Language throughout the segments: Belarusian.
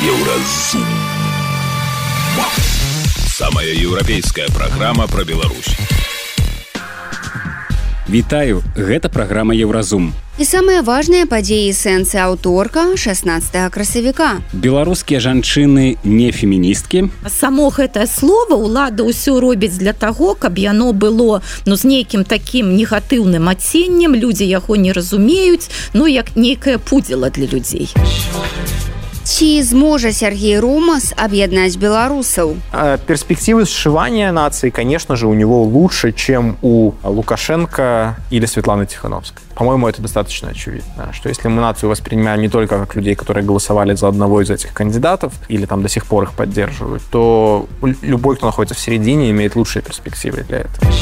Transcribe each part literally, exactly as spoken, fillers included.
Еўразум. Самая еўрапейская праграма пра Беларусь. Вітаю, гэта праграма Еўразум. І самыя важныя падзеі і сэнсы аўторка шаснаццатага красавіка. Беларускія жанчыны не феміністкі. Само гэтае слова ўлада ўсё робіць для таго, каб яно было ну, з нейкім такім негатыўным адценнем, людзі яго не разумеюць, ну як нейкае пудзіла для людзей. Ці зможа Сергей Ромас объединять белорусов? Перспективы сшивания нации, конечно же, у него лучше, чем у Лукашенко или Светланы Тихановской. По-моему, это достаточно очевидно, что если мы нацию воспринимаем не только как людей, которые голосовали за одного из этих кандидатов или там до сих пор их поддерживают, то любой, кто находится в середине, имеет лучшие перспективы для этого.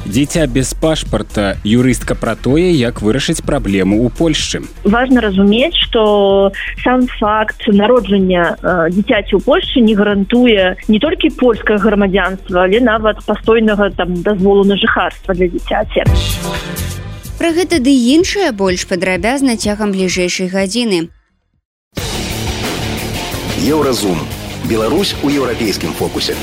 Дзіця без пашпарта. Юрыстка пра тое, як вырашыць праблему ў Польшчы. Важна разумець, што сам факт народжання э, дзіцяці ў Польшчы не гарантуе не толькі польскае грамадзянства, але нават пастойнага там дазволу на жыхарства для дзіцяці. Пра гэта ды іншае больш падрабязна цягам бліжэйшай гадзіны. Еўразум. Беларусь у еўрапейскім фокусе.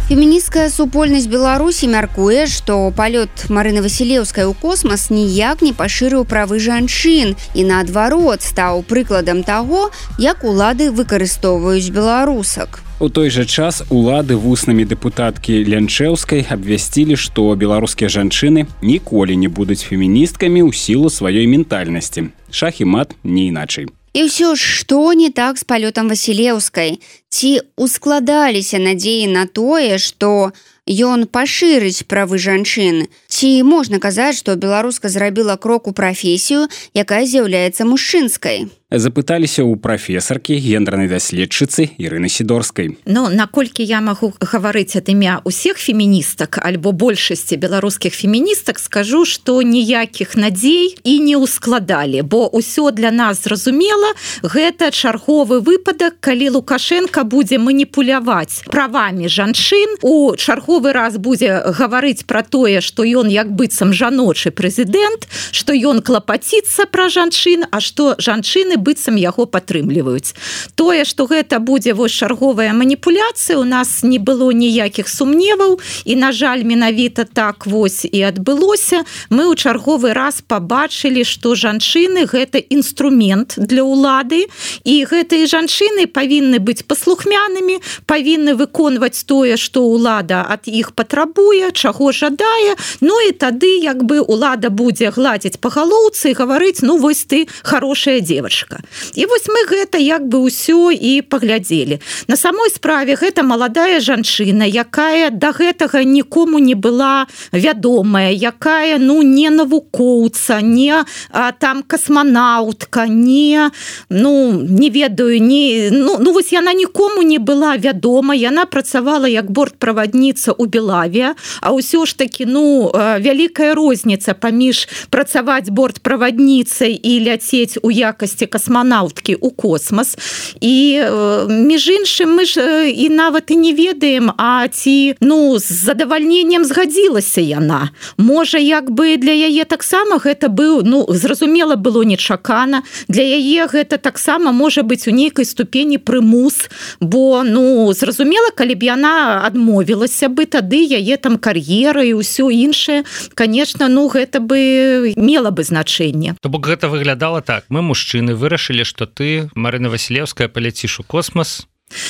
Фемінісцкая супольнасць Беларусі мяркуе, што палёт Марыны Васілеўскай у космас ніяк не пашырыў правы жанчын і, наадварот, стаў прыкладам таго, як улады выкарыстоўваюць беларусак. У той жа час улады вуснамі дэпутаткі Лянчэўскай абвясцілі, што беларускія жанчыны ніколі не будуць феміністкамі ў сілу сваёй ментальнасці. Шах і мат не іначай. І ўсё ж, што не так з палётам Васілеўскай? Ці ускладаліся надзеі на тое, што ён пашырыць правы жанчын? Ці можна казаць, што беларуска зрабіла крок у прафесію, якая з'яўляецца мужчынскай? Запыталіся ў прафесаркі, гендернай даследчыцы Ірыны Сідорскай. Ну, наколькі я магу гаварыць ад імя усіх феміністак альбо большасці беларускіх феміністак, скажу, што ніякіх надзей і не ускладалі, бо ўсё для нас зразумела, гэта чарговы выпадак, калі Лукашенко будзе маніпуляваць правамі жанчын, у чарговы раз будзе гаварыць пра тое, што ён як быццам жаночы прэзідэнт, што ён клапаціцца пра жанчын, а што жанчыны быццам яго падтрымліваюць. Тое, што гэта будзе вось чарговая маніпуляцыя, у нас не было ніякіх сумневаў, і, на жаль, менавіта так вось і адбылося. Мы ў чарговы раз пабачылі, што жанчыны гэта інструмент для ўлады, і гэтыя жанчыны павінны быць паслухмянымі, павінны выконваць тое, што ўлада ад іх патрабуе, чаго жадае, ну і тады як бы ўлада будзе гладзіць па галоўцы і гаварыць, ну вось ты хорошая дзевачка. І вось мы гэта як бы ўсё і паглядзелі. На самой справе гэта маладая жанчына, якая да гэтага нікому не была вядомая, якая ну не навукоўца, не а, там касманаўтка, не ну не ведаю, не ну, ну вось яна нікому не была вядома, яна працавала як бортправадніца ў Белаве, а ўсё ж такі ну вялікая розніца паміж працаваць бортправадніцай і ляцець у якасці касманаўткі ў космас. І між іншым мы ж і нават і не ведаем, а ці ну з задавальненнем згадзілася яна. Можа, як бы для яе таксама гэта быў, ну зразумела было нечакана, для яе гэта таксама можа быць у нейкай ступені прымус, бо ну зразумела, калі б яна адмовілася бы, тады яе там кар'ера і ўсё іншае, конечно, ну гэта бы мела бы значэнне. То бок гэта выглядала так: мы мужчыны вырашылі, што ты, Марына Васілеўская, паляціш у космас.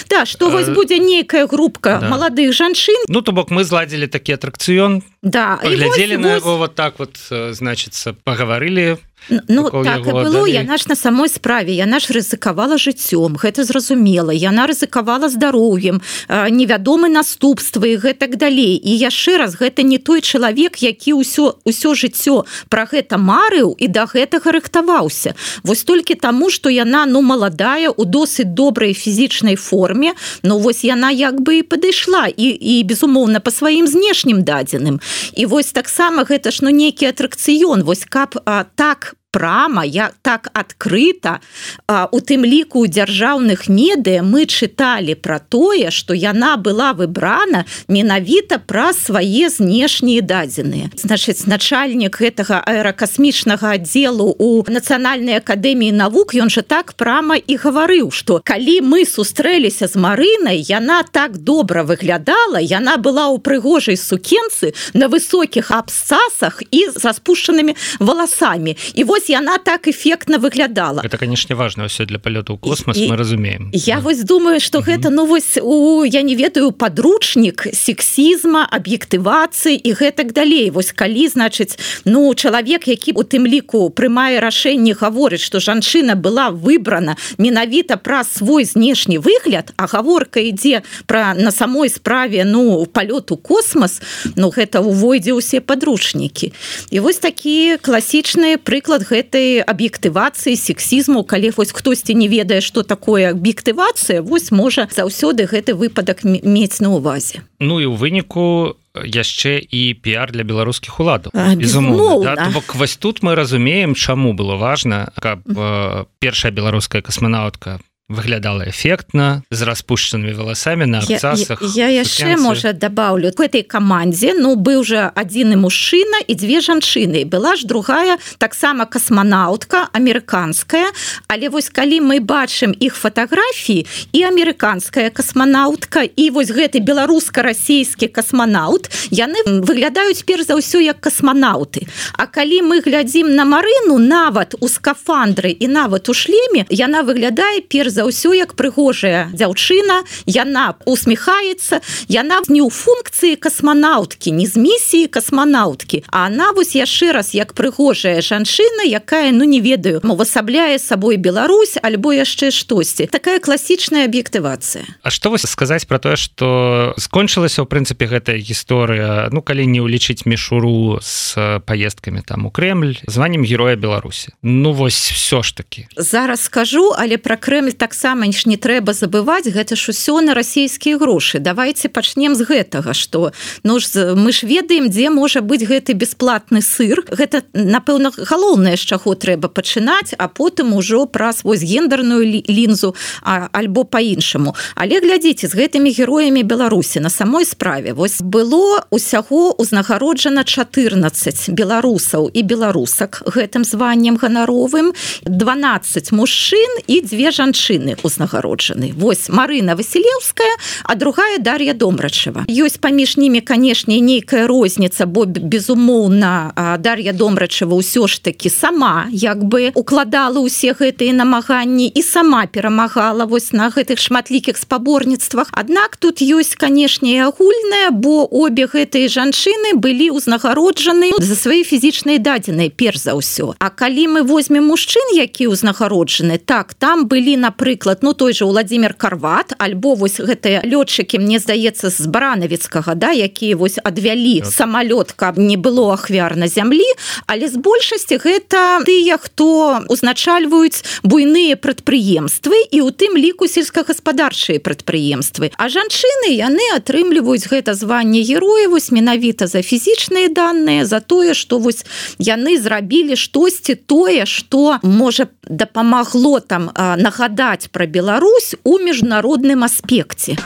Да, што вось будзе нейкая групка да. маладых жанчын. Ну, то бок мы зладзілі такі атракцыён, да. паглядзелі вось, на вось... яго вот так вот, значыцца, пагаварылі. Ну, так яго, і было, далі. Яна ж на самой справе, яна ж рызыкавала жыццём, гэта зразумела, яна рызыкавала здароўем, невядомы наступствы і гэтак далей. І яшчэ раз, гэта не той чалавек, які ўсё, ўсё жыццё пра гэта марыў і да гэтага рыхтаваўся. Вось толькі таму, што яна, ну, маладая, у досыць добрай фізічнай форме, ну, вось яна як бы і падышла, і, і безумоўна, па сваім знешнім дадзеным. І вось таксама гэта ж, ну, нейкі атракцыён, вось каб а, так прама, я так адкрыта, у тым ліку ў дзяржаўных медыа мы чыталі пра тое, што яна была выбрана менавіта праз свае знешнія дадзеныя. Значыць, начальнік гэтага аэракасмічнага аддзелу у Нацыянальнай акадэміі навук, ён жа так прама і гаварыў, што калі мы сустрэліся з Марынай, яна так добра выглядала, яна была ў прыгожай сукенцы на высокіх абсцасах і са спушчанымі валасамі. І вось яна так эфектна выглядала. Это, конечно, важно ўсё для палёту ў космас, і, мы разумеем. Я вось думаю, што угу. гэта, ну вось, у, я не ведаю, падручнік сексізма, аб'ектывацыі і гэтак далей. Вось калі, значыць, ну, чалавек, які у тым ліку прымае рашэнне, гаворыць, што жанчына была выбрана менавіта праз свой знешні выгляд, а гаворка ідзе пра на самой справе, ну, палёт у космас, ну, гэта увойдзе ўсе падручнікі. І вось такі класічны прыклад гэтай аб'ектывацыі, сексізму, калі вось хтосьці не ведае, што такое аб'ектывацыя, вось можа заўсёды гэты выпадак мець на ўвазе. Ну і ў выніку яшчэ і піар для беларускіх уладаў. Безумоўна. Да? Бок вось тут мы разумеем, чаму было важна, каб э, першая беларуская касманаўтка выглядала эфектна, з распушчанымі валасамі на абцасах. Я, я яшчэ, можа, дабаўлю. У гэтай камандзе, ну, быў жа адзіны мужчына і дзве жанчыны. Была ж другая, таксама касманаўтка, амерыканская, але вось калі мы бачым іх фатаграфіі, і амерыканская касманаўтка, і вось гэты беларуска-расійскі касманаўт, яны выглядаюць перш за ўсё як касманаўты. А калі мы глядзім на Марыну, нават у скафандры і нават у шлеме, яна выглядае перш за ўсё як прыгожая дзяўчына, яна усміхаецца, яна не ў функцыі касманаўткі, не з місіі касманаўткі, а она вось яшчэ раз як прыгожая жанчына, якая, ну не ведаю, увасабляе сабой Беларусь альбо яшчэ штосьці. Такая класічная аб'ектывацыя. А што вось сказаць пра тое, што скончылася ў прынцыпе гэтая гісторыя, ну калі не ўлічыць мішуру з паездкамі там у Крэмль, званнем Героя Беларусі. Ну вось всё ж такі. Зараз скажу, але пра Крэмль таксама ж не трэба забываць, гэта ж усё на расійскія грошы. Давайте пачнем з гэтага, што ну ж мы ж ведаем, дзе можа быць гэты бесплатны сыр. Гэта, напэўна, галоўнае, з чаго трэба пачынаць, а потым ужо праз вось гендерную лінзу а, альбо па-іншаму. Але глядзіце, з гэтымі героямі Беларусі на самой справе вось было усяго узнагароджана чатырнаццаць беларусаў і беларусак гэтым званнем ганаровым, дванаццаць мужчын і дзве жанчыны узнагароджаны. Вось Марына Васілеўская, а другая Дар'я Домрачева. Ёсць паміж німі, канешне, нейкая розніца, бо, безумоўна, Дар'я Домрачева ўсё ж такі сама як бы укладала ўсе гэтыя намаганні і сама перамагала вось на гэтых шматлікіх спаборніцтвах. Аднак тут ёсць, канешне, і агульнае, бо обе гэтыя жанчыны былі ўзнагароджаны за свае фізічныя дадзеныя, перш за ўсё. А калі мы возьмем мужчын, які ўзнагароджаны, так, там былі, напрыклад, ну той же Владимир Карват, альбо вось гэтыя лётчыкі, мне здаецца, з Баранавіцкага, да, якія вось адвялі самалёт, каб не было ахвяр на зямлі, але з большасці гэта тыя, хто узначальваюць буйныя прадпрыемствы і ў тым ліку сельскагаспадарчыя прадпрыемствы. А жанчыны, яны атрымліваюць гэта званне героя вось менавіта за фізічныя даныя, за тое, што вось яны зрабілі штосьці тое, што можа дапамагло там нагадаць пра Беларусь у міжнародным аспекце.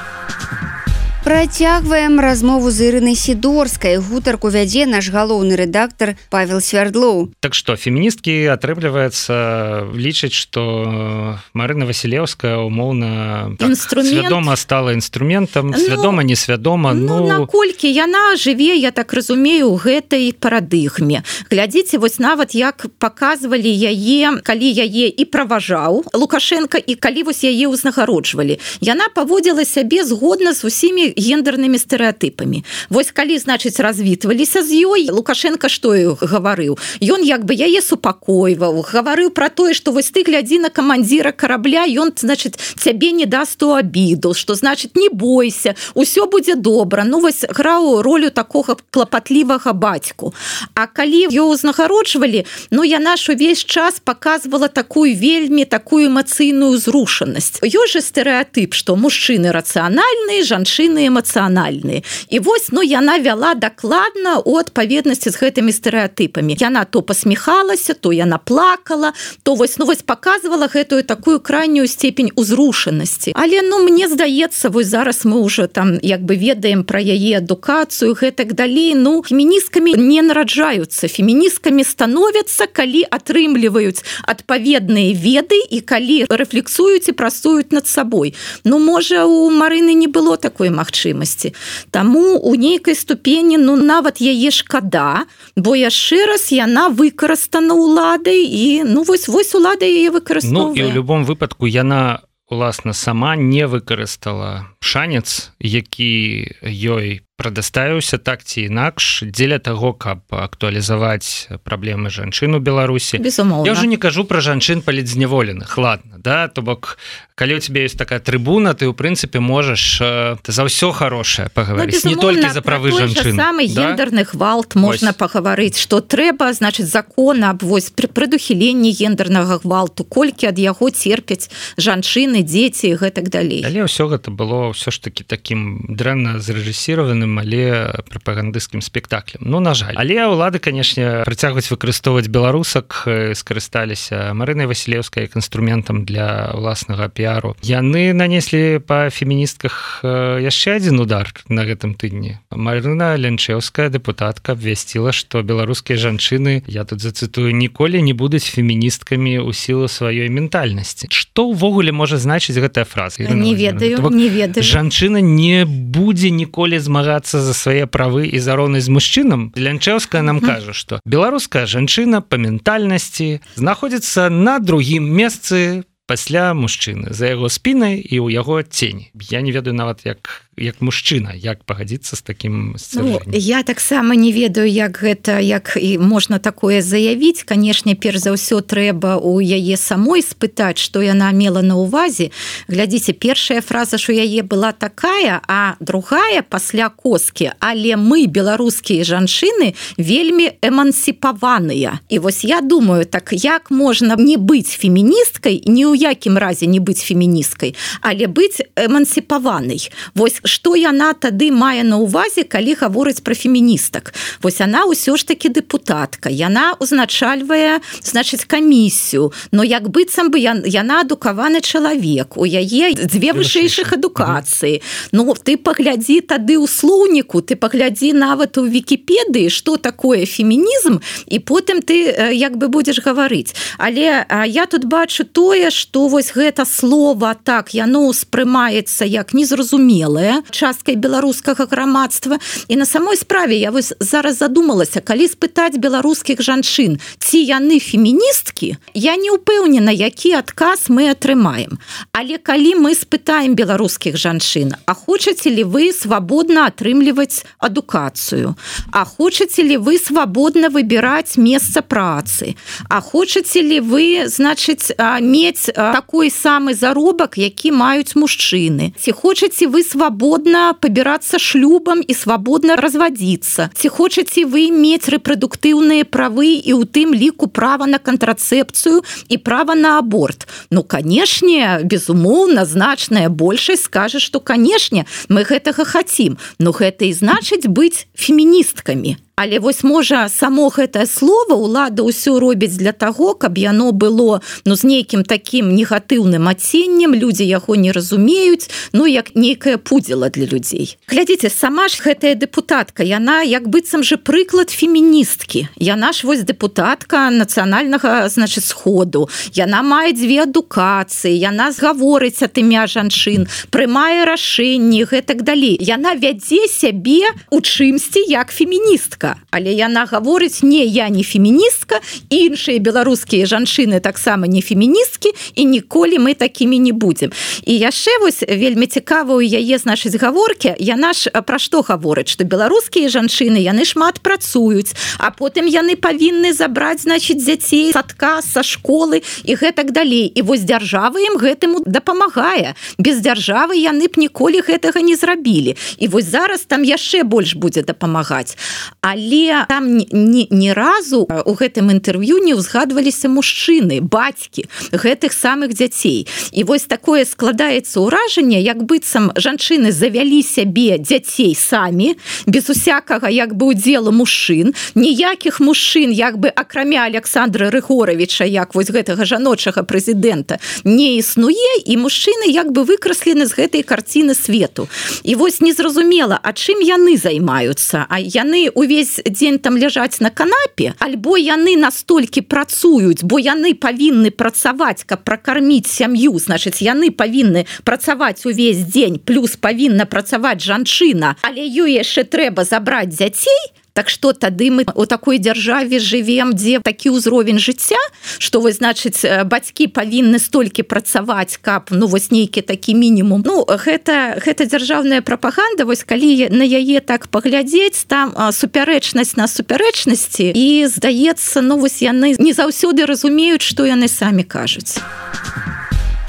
Працягваем размову з Ірынай Сідорскай. Гутарку вядзе наш галоўны рэдактар Павел Свярдлоў. Так што, феміністкі, атрымліваецца, лічаць, што Марына Васілеўская умоўна так, свядома стала інструментам, свядома, ну, несвядома. Ну, ну, наколькі яна жыве, я так разумею, у гэтай парадыгме. Глядзіце, вось нават як паказвалі яе, калі яе і праважаў Лукашенко, і калі вось яе ўзнагароджвалі. Яна паводзіла сябе згодна з усімі гендернымі стэрэатыпамі. Вось калі, значыць, развітваліся з ёй, Лукашенко што гаварыў? Ён як бы яе супакойваў, гаварыў пра тое, што вось ты глядзі на камандзіра карабля, ён, значыць, цябе не даст у абіду, што, значыць, не бойся, усё будзе добра. Ну, вось граў ролю такога клапатлівага бацьку. А калі ёй узнагароджвалі, ну, яна ж увесь час паказвала такую вельмі, такую эмацыйную зрушанасць. Ёсць жа стэрэатып, што мужчыны рацыянальныя, жанчыны пэўны эмацыянальны. І вось ну яна вяла дакладна у адпаведнасці з гэтымі стэрэатыпамі. Яна то пасміхалася, то яна плакала, то вось ну вось паказвала гэтую такую крайнюю степень узрушанасці. Але ну мне здаецца, вось зараз мы уже там як бы ведаем пра яе адукацыю, гэтак далей. Ну феміністкамі не нараджаюцца, феміністкамі становяцца, калі атрымліваюць адпаведныя веды і калі рэфлексуюць і працуюць над сабой. Ну можа у Марыны не было такой магчымасці. Таму у нейкай ступені ну нават яе шкада, бо яшчэ раз яна выкарыстана ўладай і ну вось вось улада яе выкарыстоўвае. Ну і ў любом выпадку яна уласна сама не выкарыстала шанец, які ёй прадаставіўся так ці інакш дзеля таго, каб актуалізаваць праблемы жанчын у Беларусі. Безумоўна. Я ўжо не кажу пра жанчын палітзняволеных, ладно, да, то бок калі у тебе ёсць такая трыбуна, ты ў прынцыпе можаш за ўсё хорошае пагаварыць, ну, не толькі за правы жанчын. Самы да? гендерны гвалт можна пагаварыць, што трэба, значыць, закон аб вось прадухіленні гендернага гвалту, колькі ад яго церпяць жанчыны, дзеці і гэтак далей. Але ўсё гэта было ўсё ж таки такім дрэнна зрэжысіраваным, але прапагандысцкім спектаклем. Ну, на жаль. Але ўлады, канешне, працягваюць выкарыстоўваць беларусак, скарысталіся Марынай Васілеўскай як інструментам для ўласнага піару. Яны нанеслі па феміністках яшчэ адзін удар на гэтым тыдні. Марына Лянчэўская, дэпутатка, абвясціла, што беларускія жанчыны, я тут зацытую, ніколі не будуць феміністкамі ў сілу сваёй ментальнасці. Што ўвогуле можа значыць гэтая фраза? Не ведаю, не ведаю. Жанчына не будзе ніколі змагацца за свае правы і за роўнасць з мужчынам. Лянчэўская нам кажа, што беларуская жанчына па ментальнасці знаходзіцца на другім месцы пасля мужчыны, за яго спінай і ў яго цені. Я не ведаю нават як як мужчына, як пагадзіцца з такім сцвярджэннем. Ну, я таксама не ведаю, як гэта, як і можна такое заявіць. Канешне, перш за ўсё трэба у яе самой спытаць, што яна мела на ўвазе. Глядзіце, першая фраза, што яе была такая, а другая пасля коскі. Але мы, беларускія жанчыны, вельмі эмансіпаваныя. І вось я думаю, так як можна не быць феміністкай, ні ў якім разе не быць феміністкай, але быць эмансіпаванай. Вось што яна тады мае на ўвазе, калі гаворыць пра феміністак. Вось яна ўсё ж такі дэпутатка, яна узначальвае, значыць, камісію, но як быццам бы яна адукаваны чалавек, у яе дзве вышэйшых адукацыі. Ну, ты паглядзі тады ў слоўніку, ты паглядзі нават у Вікіпедыі, што такое фемінізм, і потым ты як бы будзеш гаварыць. Але я тут бачу тое, што вось гэта слова так, яно ўспрымаецца як незразумелае часткай беларускага грамадства. І на самой справе я вось зараз задумалася, калі спытаць беларускіх жанчын, ці яны феміністкі, я не ўпэўнена, які адказ мы атрымаем. Але калі мы спытаем беларускіх жанчын, а хочаце ли вы свабодна атрымліваць адукацыю? А хочаце ли вы свабодна выбіраць месца працы? А хочаце ли вы, значыць, мець такой самы заробак, які маюць мужчыны? Ці хочаце вы свабодна пабірацца шлюбам і свабодна развадзіцца? Ці хочаце вы мець рэпрадуктыўныя правы і ў тым ліку права на кантрацэпцыю і права на аборт? Ну, канешне, безумоўна, значная большасць скажа, што, канешне, мы гэтага хацім. Ну, гэта і значыць быць феміністкамі. Але вось можа само гэтае слово ўлада ўсё робіць для таго, каб яно было ну з нейкім такім негатыўным адценнем, людзі яго не разумеюць, ну як нейкая пудзіла для людзей. Глядзіце, сама ж гэтая дэпутатка, яна як быццам же прыклад феміністкі. Яна ж вось дэпутатка нацыянальнага, значыць, сходу. Яна мае дзве адукацыі, яна згаворыць ад імя жанчын, прымае рашэнні, гэтак далей. Яна вядзе сябе у чымсьці як феміністка. Але яна гаворыць, не, я не феміністка, іншыя беларускія жанчыны таксама не феміністкі, і ніколі мы такімі не будзем. І яшчэ вось вельмі цікава ў яе, значыць, гаворкі, яна ж пра што гаворыць, што беларускія жанчыны, яны шмат працуюць, а потым яны павінны забраць, значыць, дзяцей з садка, са школы і гэтак далей. І вось дзяржава ім гэтаму дапамагае. Без дзяржавы яны б ніколі гэтага не зрабілі. І вось зараз там яшчэ больш будзе дапамагаць. Але але там ні, ні разу у гэтым інтэрв'ю не ўзгадваліся мужчыны, бацькі гэтых самых дзяцей. І вось такое складаецца ўражанне, як быццам жанчыны завялі сябе дзяцей самі, без усякага як бы удзелу мужчын, ніякіх мужчын як бы акрамя Александра Рыгоровича, як вось гэтага жаночага прэзідэнта, не існуе, і мужчыны як бы выкраслены з гэтай карціны свету. І вось незразумела, а чым яны займаюцца? А яны увесь дзень там ляжаць на канапе, альбо яны настолькі працуюць, бо яны павінны працаваць, каб пракарміць сям'ю, значыць, яны павінны працаваць увесь дзень, плюс павінна працаваць жанчына, але ёй яшчэ трэба забраць дзяцей. Так што тады мы у такой дзяржаве жывем, дзе такі ўзровень жыцця, што вось, значыць, бацькі павінны столькі працаваць, каб, ну, вось нейкі такі мінімум. Ну, гэта, гэта дзяржаўная прапаганда, вось калі на яе так паглядзець, там супярэчнасць на супярэчнасці, і, здаецца, ну, вось яны не заўсёды разумеюць, што яны самі кажуць.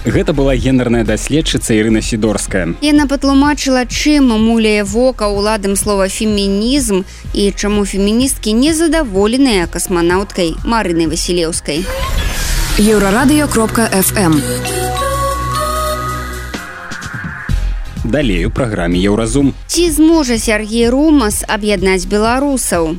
Гэта была гендерная даследчыца Ірына Сідорская. Яна патлумачыла, чым муляе вока ўладам слова фемінізм і чаму феміністкі незадаволеныя касманаўткай Марынай Васілеўскай. еўрарадыё кропка эф эм. Далей у праграме «Еўразум». Ці зможа Сергей Румас объединять белорусов?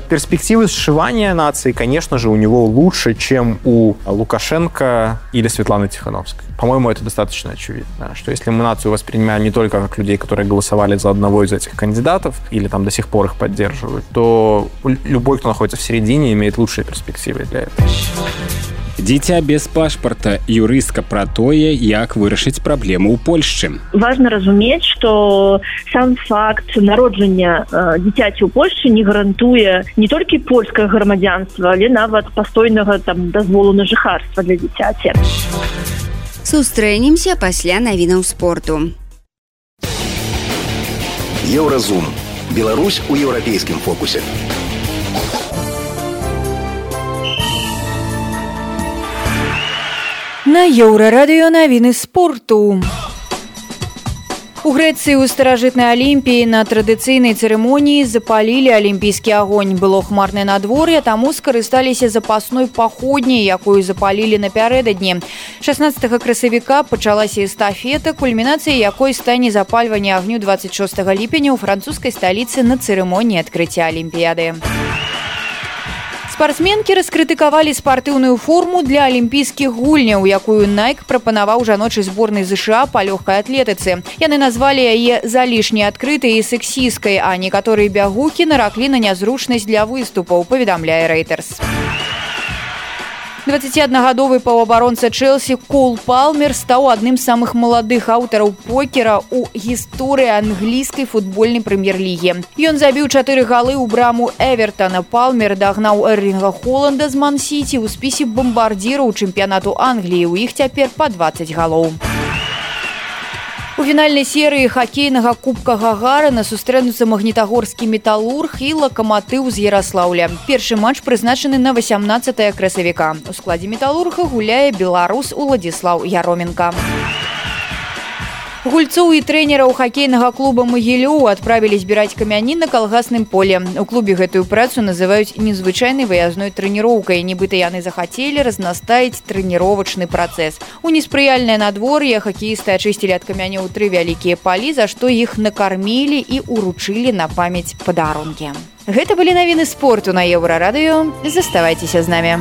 Перспективы сшивания нации, конечно же, у него лучше, чем у Лукашенко или Светланы Тихановской. По-моему, это достаточно очевидно, что если мы нацию воспринимаем не только как людей, которые голосовали за одного из этих кандидатов или там до сих пор их поддерживают, то любой, кто находится в середине, имеет лучшие перспективы для этого. Дзіця без пашпарта. Юрыстка пра тое, як вырашыць праблему ў Польшчы. Важна разумець, што сам факт народжання э, дзіцяці ў Польшчы не гарантуе не толькі польскае грамадзянства, але нават пастойнага там дазволу на жыхарства для дзіцяці. Сустрэнемся пасля навінаў спорту. Еўразум. Беларусь у еўрапейскім фокусе. На Еўрарадыё навіны спорту. У Грэцыі ў старажытнай Алімпіі на традыцыйнай цырымоніі запалілі алімпійскі агонь. Было хмарнае надвор'е, таму скарысталіся запасной паходняй, якую запалілі напярэдадні. шаснаццатага красавіка пачалася эстафета, кульмінацыяй якой стане запальванне агню дваццаць шостага ліпеня ў французскай сталіцы на цырымоніі адкрыцця Алімпіяды. Спартсменкі раскрытыкавалі спартыўную форму для алімпійскіх гульняў, якую Nike прапанаваў жаночай зборнай ЗША па лёгкай атлетыцы. Яны назвалі яе залішне адкрытай і сексісткай, а некаторыя бягукі нараклі на нязручнасць для выступаў, паведамляе Reuters. дваццаціаднагадовы паўабаронца Чэлсі Кол Палмер стаў адным з самых маладых аўтараў покера ў гісторыі англійскай футбольнай прэм'ер-лігі. Ён забіў чатыры галы ў браму Эвертана. Палмер дагнаў Эрлінга Холланда з Ман-Сіці ў спісе бамбардзіраў чэмпіянату Англіі. У іх цяпер па дваццаць галоў. У фінальнай серыі хакейнага кубка Гагарына сустрэнуцца магнітагорскі металург і лакаматыў з Яраслаўля. Першы матч прызначаны на васямнаццатае красавіка. У складзе металурга гуляе беларус Уладзіслаў Яроменка. Гульцоў і трэнераў хакейнага клуба Магілёў адправілі збіраць камяні на калгасным поле. У клубе гэтую працу называюць незвычайнай выязной трэніроўкай. Нібыта яны захацелі разнастаіць трэніровачны працэс. У неспрыяльнае надвор'е хакеісты ачысцілі ад камянёў тры вялікія палі, за што іх накармілі і уручылі на памяць падарункі. Гэта былі навіны спорту на Еўрарадыё. Заставайцеся з намі.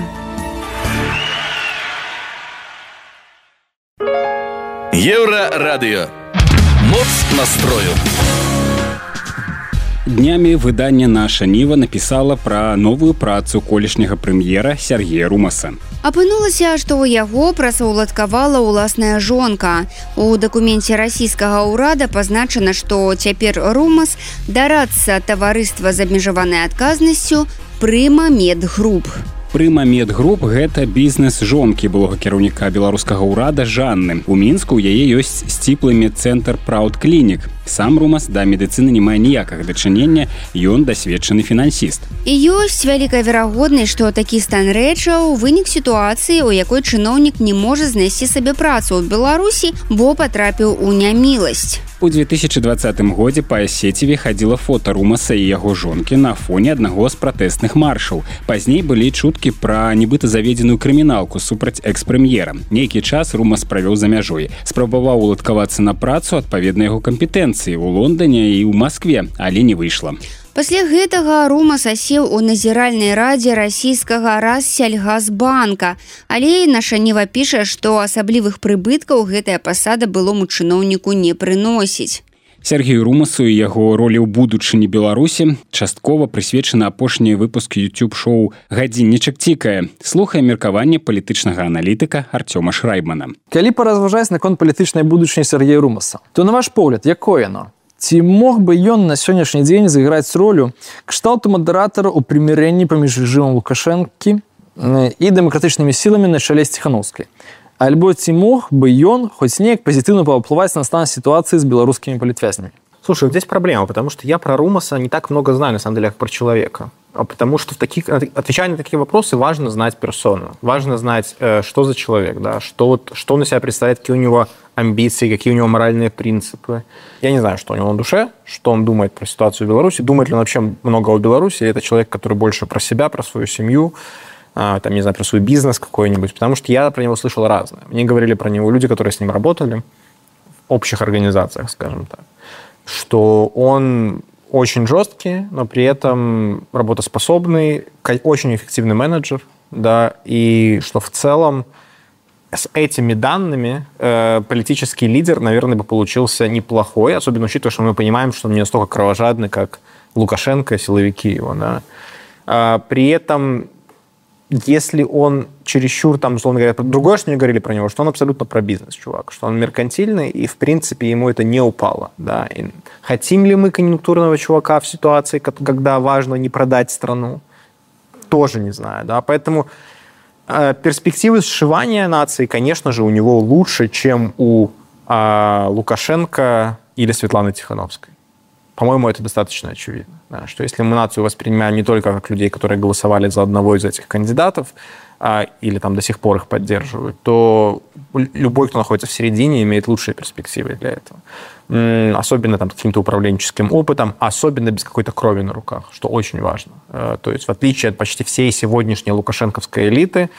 Еўрарадыё. Моц настрою. Днямі выданне «Наша Ніва» напісала пра новую працу колішняга прэм'ера Сергея Румаса. Апынулася, што ў яго працаўладкавала ўласная жонка. У дакуменце расійскага ўрада пазначана, што цяпер Румас дарадца таварыства з абмежаванай адказнасцю «Прыма Медгруп». Прыма Медгруп – гэта бізнес жонкі былога кіраўніка беларускага ўрада Жанны. У Мінску ў яе ёсць сціплы медцэнтр Праўд Клінік. Сам Румас да медыцыны не мае ніякага дачынення, ён дасведчаны фінансіст. І ёсць вялікая верагоднасць, што такі стан рэчаў вынік сітуацыі, у якой чыноўнік не можа знайсці сабе працу ў Беларусі, бо патрапіў у няміласць. У две тысячи двадцатым годзе па сеціве хадзіла фота Румаса і яго жонкі на фоне аднаго з пратэсных маршаў. Пазней былі чуткі пра нібыта заведзеную крыміналку супраць экс-прэм'ера. Нейкі час Румас правёў за мяжой. Спрабаваў уладкавацца на працу адпаведна яго кампетэнцыі ў Лондоне і ў Маскве, але не выйшла. Пасля гэтага Румас асеў у назіральнай радзе расійскага Рассельгазбанка, але Нашанева піша, што асаблівых прыбыткаў гэтая пасада былому чыноўніку не прыносіць. Сергею Румасу і яго ролі ў будучыні Беларусі часткова прысвечаны апошні выпуск YouTube-шоу «Гадзіннічак цікае». Слухае меркаванне палітычнага аналітыка Артёма Шрайбмана. Калі паразважаць наконт палітычнай будучыні Сергея Румаса, то на ваш погляд, якое яно? Ці мог бы ён на сённяшні дзень зайграць ролю кшталту мадэратара ў прымірэнні паміж рэжымам Лукашэнкі і дэмакратычнымі сіламі на чале з Ціханаўскай? Альбо ці мог бы ён хоць неяк пазітыўна паўплываць на стан ситуации с белорусскими политвязнямі? Слушай, здесь проблема, потому что я про Румаса не так много знаю, на самом деле, как про человека. А потому что в таких, отвечая на такие вопросы, важно знать персону. Важно знать, что за человек, да, что, вот, что он из себя представляет, какие у него амбиции, какие у него моральные принципы. Я не знаю, что у него на душе, что он думает про ситуацию в Беларуси, думает ли он вообще много о Беларуси, или это человек, который больше про себя, про свою семью, там, не знаю, про свой бизнес какой-нибудь. Потому что я про него слышал разное. Мне говорили про него люди, которые с ним работали в общих организациях, скажем так, что он очень жесткий, но при этом работоспособный, очень эффективный менеджер, да, и что в целом с этими данными э, политический лидер, наверное, бы получился неплохой, особенно учитывая, что мы понимаем, что он не настолько кровожадный, как Лукашенко, силовики его, да. А, при этом, если он чересчур, там, условно говоря, другое, что мне говорили про него, что он абсолютно про бизнес, чувак, что он меркантильный, и, в принципе, ему это не упало. Да. И хотим ли мы конъюнктурного чувака в ситуации, когда важно не продать страну? Тоже не знаю. Да. Поэтому э, перспективы сшивания нации, конечно же, у него лучше, чем у э, Лукашенко или Светланы Тихановской. По-моему, это достаточно очевидно. Да, что если мы нацию воспринимаем не только как людей, которые голосовали за одного из этих кандидатов, а, или там до сих пор их поддерживают, то любой, кто находится в середине, имеет лучшие перспективы для этого. М-м, особенно там, каким-то управленческим опытом, особенно без какой-то крови на руках, что очень важно. А, то есть в отличие от почти всей сегодняшней лукашенковской элиты,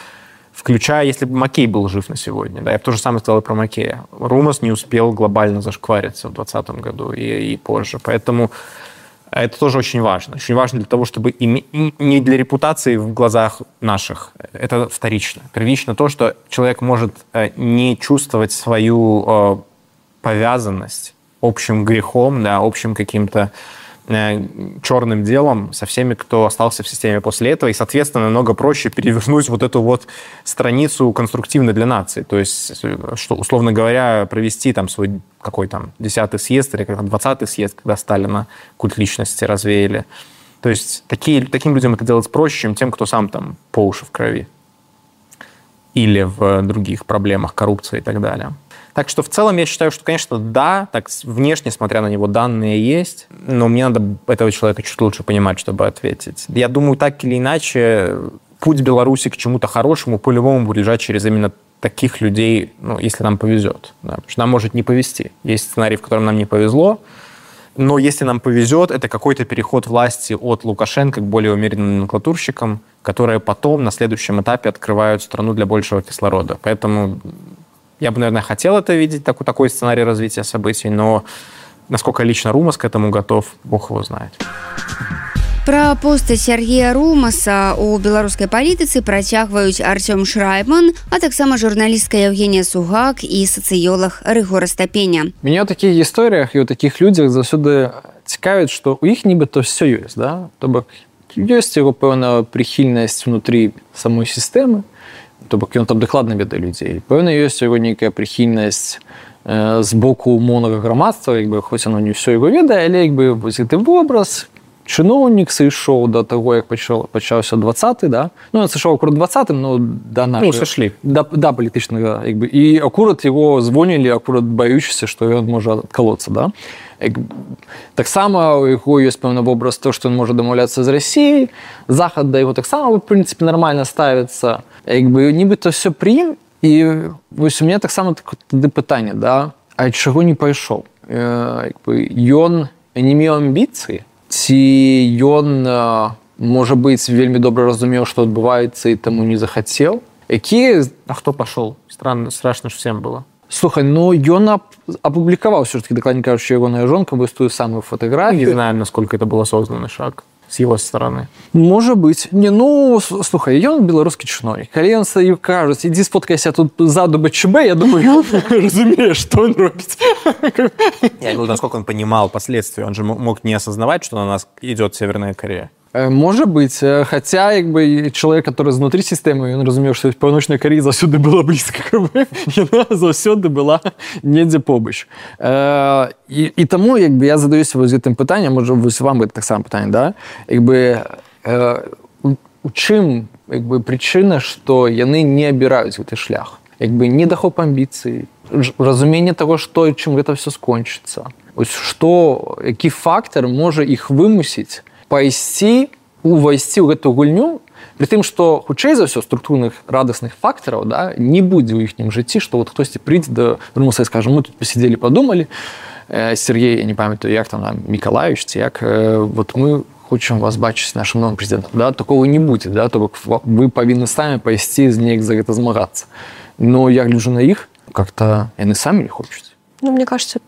включая, если бы Маккей был жив на сегодня. Да, я бы то же самое сказал и про Маккея. Румас не успел глобально зашквариться в двадцатом году и, и позже. Поэтому это тоже очень важно. Очень важно для того, чтобы име... не для репутации в глазах наших. Это вторично. Первично то, что человек может не чувствовать свою повязанность общим грехом, да, общим каким-то черным делом со всеми, кто остался в системе после этого, и, соответственно, намного проще перевернуть вот эту вот страницу конструктивно для нации. То есть, что, условно говоря, провести там свой какой там десятый съезд или как двадцатый съезд, когда Сталина культ личности развеяли. То есть такие, таким людям это делать проще, чем тем, кто сам там по уши в крови. Или в других проблемах, коррупции и так далее. Так что в целом я считаю, что, конечно, да, так внешне, смотря на него, данные есть, но мне надо этого человека чуть лучше понимать, чтобы ответить. Я думаю, так или иначе, путь Беларуси к чему-то хорошему по-любому будет лежать через именно таких людей, ну, если нам повезет. Да, потому что нам может не повезти. Есть сценарий, в котором нам не повезло, но если нам повезет, это какой-то переход власти от Лукашенко к более умеренным номенклатурщикам, которые потом на следующем этапе открывают страну для большего кислорода. Поэтому я бы, наверное, хотел это видеть, такой, такой сценарий развития событий, но насколько лично Румас к этому готов, бог его знает. Пра поста Сергея Румаса у беларускай палітыцы працягваюць Артём Шрайбман, а таксама журналістка Евгения Сугак і сацыёлаг Рыгор Астапеня. Меня ў такіх гісторыях і ў такіх людзях заўсёды цікавіць, што ў іх нібыта ўсё ёсць, да? То бок ёсць яго пэўная прыхільнасць внутры самой сістэмы, то бок ён там дакладна ведае людзей. Пэўна, ёсць у яго нейкая прыхільнасць э, з боку умоўнага грамадства, як бы, хоць оно не ўсё яго ведае, але як бы вось гэты вобраз, чыноўнік сышоў да таго, як пачаў, пачаўся двадцаты, да? Ну, ён сышоў акурат двадцатым, но да нашай... Ну, сышлі. Да, да палітычнага, як бы. І акурат яго звонілі, акурат баючыся, што ён можа адкалоцца, да? Таксама у яго ёсць пэўны вобраз то, што ён можа дамаўляцца з Расіяй, Захад да яго таксама, в прынцыпе, нармальна ставіцца. Як бы, нібыта ўсё пры ім, і вось у мяне таксама тады пытанне, да? А чаго не пайшоў? Як бы, ён не меў амбіцыі, ці ён, можа быць, вельмі добра разумеў, што адбываецца, і таму не захацеў? Які... А хто пашоў? Странно, страшно ж всем было. Слухай, ну ён апублікаваў все-таки, дакладней кажучы, ягоная жонка вось тую самую фотографію. Не знаем, насколько это был осознанный шаг с его стороны. Можа быць. Не, ну, слухай, ён беларускі чыноўнік. Калі ён стаю кажуць, ідзі сфоткайся тут ззаду БЧБ, я думаю, разумеешь, что он робит. Я говорю, насколько он понимал последствия. Он же мог не осознавать, что на нас идет Северная Корея. Можа быць, хаця як бы чалавек, который знутры сістэмы, ён разумеў, што паўночная Карея заўсёды была блізка, яна заўсёды была недзе побач. І, і таму як бы я задаюся вось гэтым пытаннем, можа вось вам гэта таксама пытанне, да? Як бы у чым як бы прычына, што яны не абіраюць гэты шлях? Як бы недахоп амбіцый, разуменне таго, што і чым гэта ўсё скончыцца. Вось што, які фактар можа іх вымусіць пайсці, увайсці ў гэту гульню, при тым, што, хутчэй за ўсё, структурных радасных фактараў, да, не будзе ў іхнім жыцці, што вот хтосьці прыйдзе да Румуса і скажа, мы тут пасидзелі, падумалі, э, Сергей, я не памятаю, як там, Мікалаевич, ці як, э, вот мы хочам вас бачыць нашым новым прэзідэнтам, да, такого не будзе, да, то бок вы павінны самі пайсці неяк за гэта змагацца. Но я гляджу на іх, как-то яны самі не хочуць. Ну, мне кажется,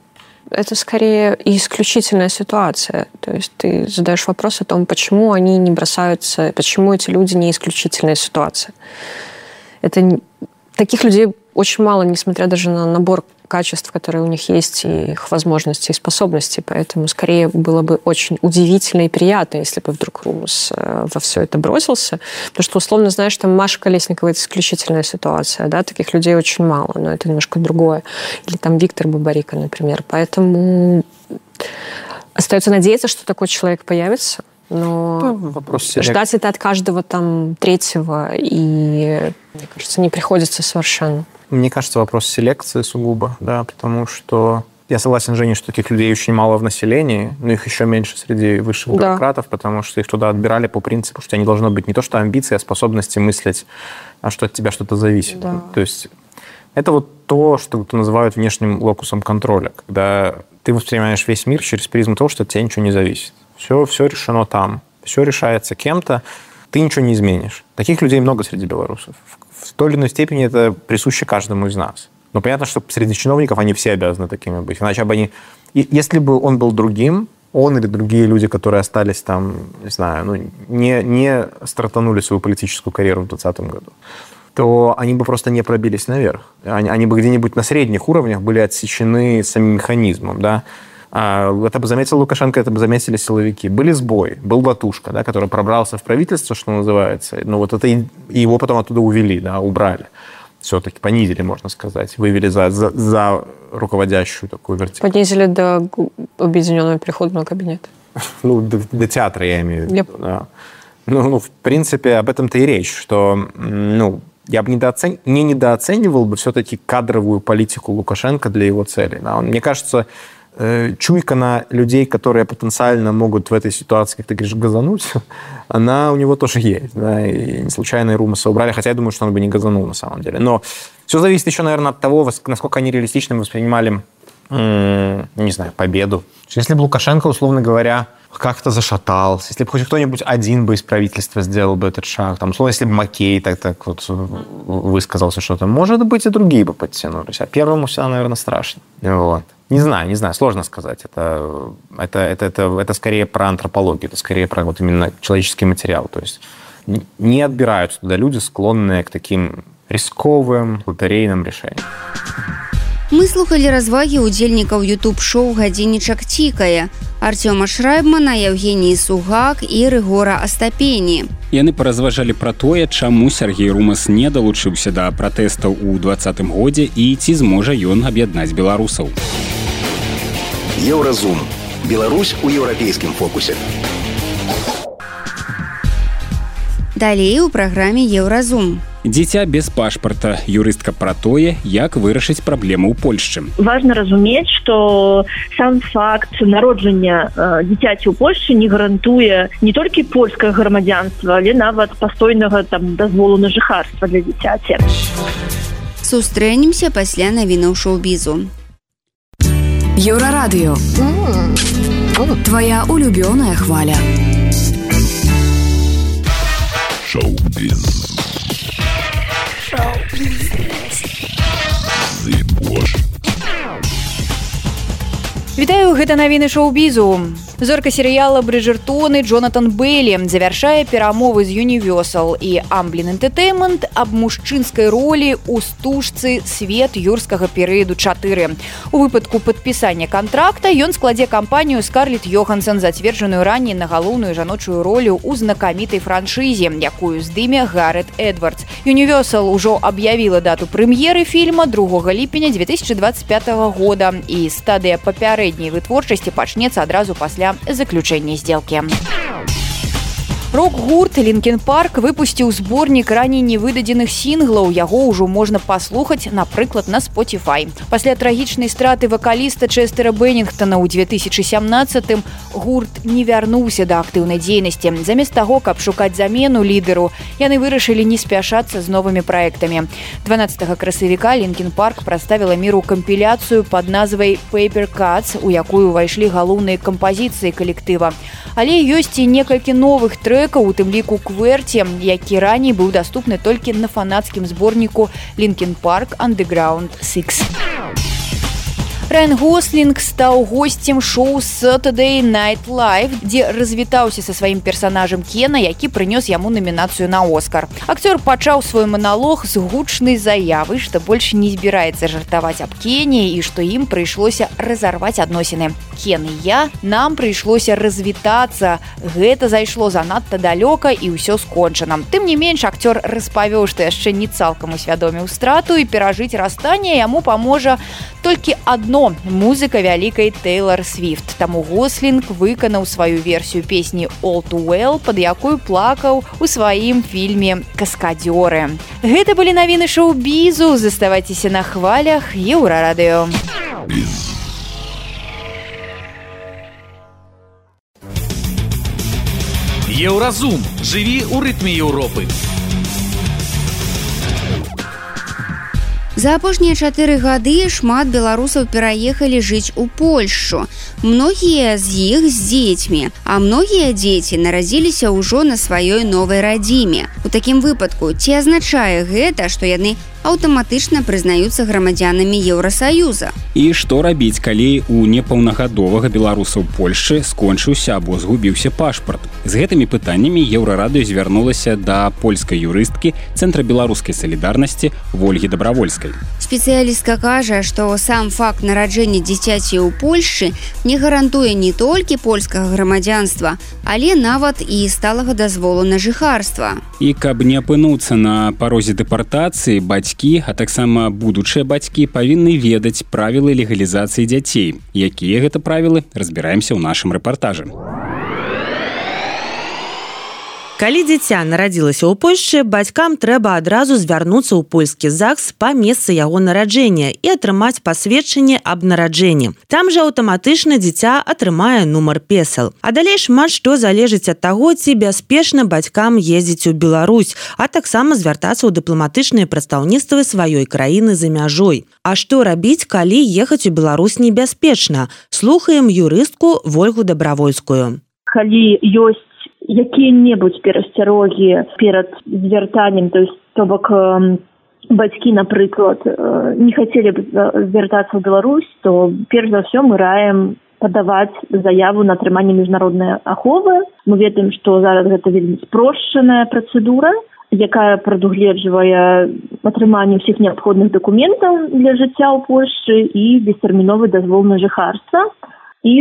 это скорее исключительная ситуация. То есть ты задаешь вопрос о том, почему они не бросаются, почему эти люди не исключительная ситуация. Это таких людей очень мало, несмотря даже на набор качеств, которые у них есть, и их возможностей и способностей. Поэтому скорее было бы очень удивительно и приятно, если бы вдруг Румус во все это бросился. Потому что, условно, знаешь, там Маша Колесникова – это исключительная ситуация, да, таких людей очень мало, но это немножко другое. Или там Виктор Бабарика, например. Поэтому остается надеяться, что такой человек появится. Но вопрос ждать это от каждого там третьего, и, мне кажется, не приходится совершенно. Мне кажется, вопрос селекции сугубо, да, потому что я согласен, Женя, что таких людей очень мало в населении, но их еще меньше среди высших да. бюрократов, потому что их туда отбирали по принципу, что у тебя не должно быть не то что амбиции, а способности мыслить, а что от тебя что-то зависит. Да. То есть это вот то, что называют внешним локусом контроля, когда ты воспринимаешь весь мир через призму того, что от тебя ничего не зависит. Все, все решено там, все решается кем-то, ты ничего не изменишь. Таких людей много среди белорусов. В той или иной степени это присуще каждому из нас. Но понятно, что среди чиновников они все обязаны такими быть. Иначе бы они... Если бы он был другим, он или другие люди, которые остались там, не знаю, ну, не, не стартанули свою политическую карьеру в двадцатом году, то они бы просто не пробились наверх. Они, они бы где-нибудь на средних уровнях были отсечены самим механизмом, да. Это бы заметил Лукашенко, это бы заметили силовики. Были сбои, был Латушка, да, который пробрался в правительство, что называется. Ну, вот это и его потом оттуда увели, да, убрали. Все-таки понизили, можно сказать. Вывели за, за, за руководящую такую вертикаль. Понизили до объединенного переходного кабинета. Ну, до, до театра, я имею в виду. Yep. Да. Ну, ну, в принципе, об этом-то и речь, что, ну, я бы недооцен... не недооценивал бы все-таки кадровую политику Лукашенко для его целей. Да. Он, мне кажется, чуйка на людей, которые потенциально могут в этой ситуации, как ты говоришь, газануть, она у него тоже есть. Да, и не случайно и Румуса убрали, хотя я думаю, что он бы не газанул на самом деле. Но все зависит еще, наверное, от того, насколько они реалистично воспринимали, не знаю, победу. Если бы Лукашенко, условно говоря, как-то зашатался, если бы хоть кто-нибудь один бы из правительства сделал бы этот шаг, там, условно, если бы Маккей так, так вот высказался что-то, может быть, и другие бы подтянулись. А первому всегда, наверное, страшно. Вот. Не знаю, не знаю, сложно сказать. Это, это, это, это, это скорее про антропологию, это скорее про вот именно человеческий материал. То есть не отбираются туда люди, склонные к таким рисковым, лотерейным решениям. Мы слухали развагі ўдзельнікаў ютуб-шоу «Гадзіннічак цікае» Артёма Шрайбмана, Евгений Сугак і Рыгора Астапені. Яны паразважалі пра тое, чаму Сергей Румас не далучыўся да пратэстаў у двадцатым годзе і ці зможа ён аб'яднаць беларусаў. Еўразум. Беларусь у еўрапейскім фокусе. Далей у праграме Еўразум. Дзіця без пашпарта. Юрыстка пра тое, як вырашыць праблему ў Польшчы. Важна разумець, што сам факт народжання э, дзіцяці ў Польшчы не гарантуе не толькі польскае грамадзянства, але нават пастойнага там дазволу на жыхарства для дзіцяці. Сустрэнемся пасля навінаў шоу-бізу. Еўрарадыё. Твоя улюбёная хваля. Шоу-біз. Вітаю, гэта навіны шоу-бізу. Зорка серыяла «Брыджэртоны» Джонатан Бэйлі завяршае перамовы з Universal і Amblin Entertainment аб мужчынскай ролі ў стужцы «Свет юрскага перыяду чатыры». У выпадку падпісання кантракта ён складзе кампанію Скарлетт Йоханссон, зацверджаную раней на галоўную жаночую ролю ў знакамітай франшызе, якую здыме Гарэт Эдвардс. Universal ужо аб'явіла дату прэм'еры фільма другога ліпеня две тысячи двадцать пятого года, і стадыя папярэдняй вытворчасці пачнецца адразу пасля заключэння сделкі. Рок-гурт Linkin Park выпусціў зборнік раней невыдадзеных сінглаў. Яго ўжо можна паслухаць, напрыклад, на Spotify. Пасля трагічнай страты вакаліста Чэстера Беннінгтона ў две тысячи семнадцатым гурт не вярнуўся да актыўнай дзейнасці. Замест таго, каб шукаць замену лідару, яны вырашылі не спяшацца з новымі праектамі. дванаццатага красавіка Linkin Park прадставіла міру кампіляцыю пад назвай Paper Cuts, у якую ўвайшлі галоўныя кампазіцыі калектыва. Але ёсць і некалькі новых трэкаў, у тым ліку «Кверці», які раней быў даступны толькі на фанацкім зборніку Linkin Park Underground шэсць. Райан Гослінг стаў госцем шоу Saturday Night Live, дзе развітаўся са сваім персанажам Кена, які прынёс яму намінацыю на Оскар. Акцёр пачаў свой маналог з гучнай заявы, што больш не збіраецца жартаваць аб Кене і што ім прыйшлося разарваць адносіны. Кен і я, нам прыйшлося развітацца. Гэта зайшло занадта далёка і ўсё скончана. Тым не менш, акцёр распавёў, што яшчэ не цалкам усвядоміў страту і перажыць расстанне яму паможа толькі адно – музыка вялікай Тэйлар Свіфт. Таму Гослінг выканаў сваю версію песні «All Too Well», пад якой плакаў у сваім фільме «Каскадзёры». Гэта былі навіны шоу-бізу. Заставайцеся на хвалях Еўрарадыё. Еўразум. Жыві ў рытме Еўропы. За апошнія чатыры гады шмат беларусаў пераехалі жыць у Польшчу. Многія з іх з дзецьмі, а многія дзеці нарадзіліся ўжо на сваёй новай радзіме. У такім выпадку, ці азначае гэта, што яны аўтаматычна прызнаюцца грамадзянамі Еўрасаюза? І што рабіць, калі у непаўнагадовага беларуса ў Польшчы скончыўся або згубіўся пашпарт? З гэтымі пытаннямі Еўрарадыё звярнулася да польскай юрысткі Цэнтра беларускай салідарнасці Вольгі Дабравольскай. Спецыялістка кажа, што сам факт нараджэння дзіцяці ў Польшчы не гарантуе не толькі польскага грамадзянства, але нават і сталага дазволу на жыхарства. І каб не апынуцца на парозе дэпартацыі, бацькі, а таксама будучыя бацькі павінны ведаць правілы легалізацыі дзяцей. Якія гэта правілы, разбіраемся ў нашым рэпартажы. Калі дзіця нарадзілася ў Польшчы, бацькам трэба адразу звярнуцца ў польскі ЗАГС па месцы яго нараджэння і атрымаць пасведчанне аб нараджэнні. Там жа аўтаматычна дзіця атрымае нумар песал. А далей шмат што залежыць ад таго, ці бяспечна бацькам ездзіць у Беларусь, а таксама звяртацца ў дыпламатычныя прадстаўніцтвы сваёй краіны за мяжой. А што рабіць, калі ехаць у Беларусь небяспечна? Слухаем юрыстку Вольгу Дабравольскую. Калі ёсць якія-небудзь перасцярогі перад звяртаннем, то есть то бок бацькі, напрыклад, не хацелі б звяртацца ў Беларусь, то перш за ўсё мы раім падаваць заяву на атрыманне міжнароднай аховы. Мы ведаем, што зараз гэта вельмі спрошчаная працэдура, якая прадугледжвае атрыманне ўсіх неабходных дакументаў для жыцця ў Польшчы і бестэрміновы дазвол на жыхарства. І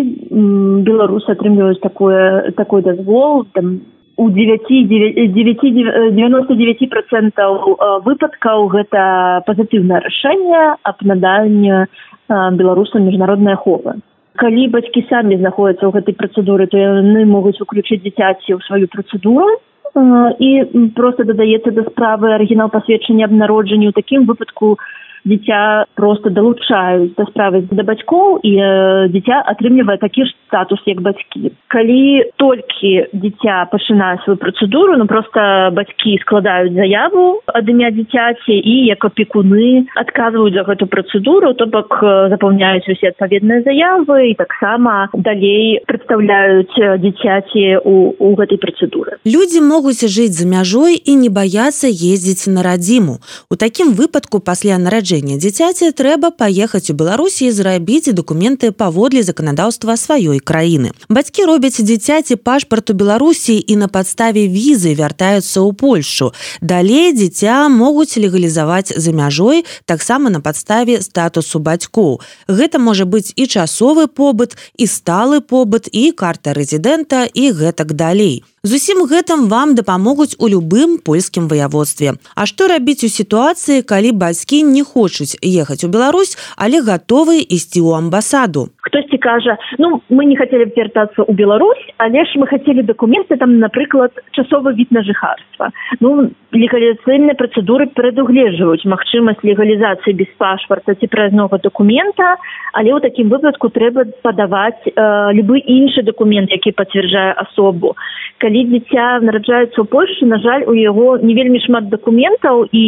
беларусы атрымліваюць такое, такой дазвол там, у девяносто девять процентов выпадкаў гэта пазітыўнае рашэнне аб наданні беларусам міжнароднай аховы. Калі бацькі самі знаходзяцца ў гэтай працэдуры, то яны могуць уключыць дзіцяці ў сваю працэдуру, і проста дадаецца да справы арыгінал пасведчання аб народжанні. У такім выпадку дзіця просто далучаюць да справы да бацькоў, і э, дзіця атрымлівае такі ж статус, як бацькі. Калі толькі дзіця пачынае сваю працэдуру, ну проста бацькі складаюць заяву ад імя дзіцяці і як апекуны адказваюць за гэту працэдуру, то бок запаўняюць усе адпаведныя заявы і таксама далей прадстаўляюць дзіцяці у, у гэтай працэдуры. Людзі могуць жыць за мяжой і не баяцца ездзіць на радзіму. У такім выпадку пасля нараджэння дзіцяці трэба паехаць у Беларусі і зрабіць дакументы паводле заканадаўства сваёй краіны. Бацькі робяць дзіцяці пашпарт у Беларусі і на падставе візы вяртаюцца ў Польшчу. Далей дзіця могуць легалізаваць за мяжой таксама на падставе статусу бацькоў. Гэта можа быць і часовы побыт, і сталы побыт, і карта рэзідэнта, і гэтак далей. З усім гэтым вам дапамогуць у любым польскім ваяводстве. А што рабіць у сітуацыі, калі бацькі не хочуць ехаць у Беларусь, але гатовы ісці ў амбасаду? Хтосьці кажа, ну, мы не хацелі б вяртацца ў Беларусь, але ж мы хацелі дакументы, там, напрыклад, часовы від на жыхарства. Ну, легалізацыйныя працэдуры прадугледжваюць магчымасць легалізацыі без пашпарта ці праязнога дакумента, але ў такім выпадку трэба падаваць э, любы іншы дакумент, які пацвярджае асобу. Калі дзіця нараджаецца ў Польшчы, на жаль, у яго не вельмі шмат дакументаў, і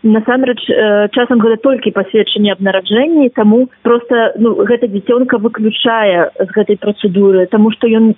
насамрэч э, часам гэта толькі пасведчанне аб нараджэнні, таму проста ну, гэта дзіцёнка выключае з гэтай працэдуры, таму што ён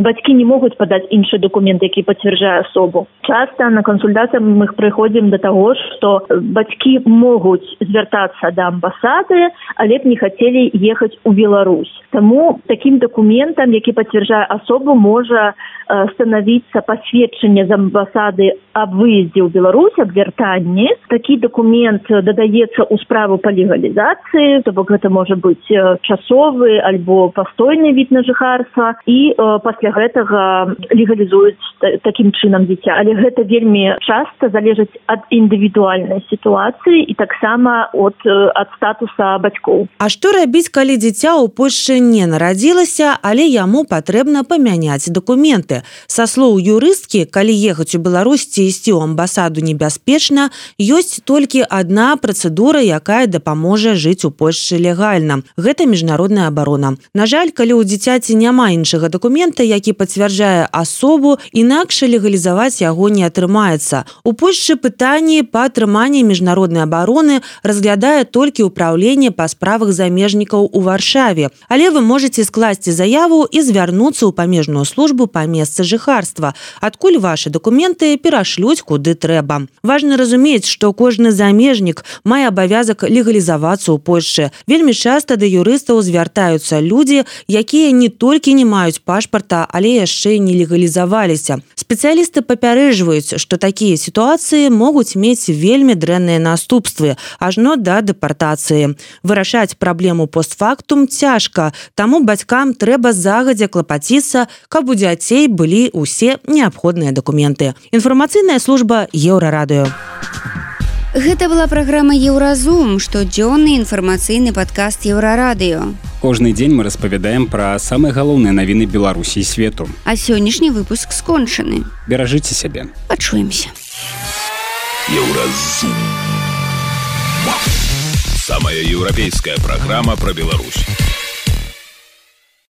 бацькі не могуць падаць іншы дакумент, які пацвярджае асобу. Часта на кансультацыях мы прыходзім да таго, што бацькі могуць звяртацца да амбасады, але б не хацелі ехаць у Беларусь. Таму такім дакументам, які пацвярджае асобу, можа э, становіцца пасведчанне з амбасады аб выездзе ў Беларусь, аб вяртанні. Такі дакумент дадаецца ў справу па легалізацыі, то бок гэта можа быць часовы альбо пастойны від на жыхарства, і э, пасля гэтага легалізуюць такім чынам дзіця. Але гэта вельмі часта залежыць ад індывідуальнай сітуацыі і таксама ад, ад статуса бацькоў. А што рабіць, калі дзіця ў Польшчы не нарадзілася, але яму патрэбна памяняць дакументы? Са слоў юрысткі, калі ехаць у Беларусь ці ісці ў амбасаду небяспечна, ёсць толькі адна працэдура, якая дапаможа жыць у Польшчы легальна. Гэта міжнародная абарона. На жаль, калі ў дзіцяці няма іншага дакумента, які пацвярджае асобу, інакш легалізаваць яго не атрымаецца. У Польшчы пытанні па атрыманні міжнароднай абароны разглядае толькі ўпраўленне па справах замежнікаў у Варшаве. Але вы можаце скласці заяву і звярнуцца ў памежную службу па месцы жыхарства, адкуль вашы дакументы перашлюць куды трэба. Важна разумець, што кожны замежнік мае абавязак легалізавацца ў Польшчы. Вельмі часта да юрыстаў звяртаюцца людзі, якія не толькі не маюць пашпарта, але яшчэ не легалізаваліся. Спецыялісты папярэджваюць, што такія сітуацыі могуць мець вельмі дрэнныя наступствы, ажно да дэпартацыі. Вырашаць праблему постфактум цяжка, таму бацькам трэба загадзя клапаціцца, каб у дзяцей былі ўсе неабходныя дакументы. Інфармацыйная служба Еўрарадыё. Гэта была праграма «Еўразум», штодзённы інфармацыйны падкаст Еўрарадыё. Кожны дзень мы распавядаем пра самыя галоўныя навіны Беларусі і свету. А сённяшні выпуск скончаны. Беражыце сябе. Пачуемся. Еўразум. Самая еўрапейская праграма пра Беларусь.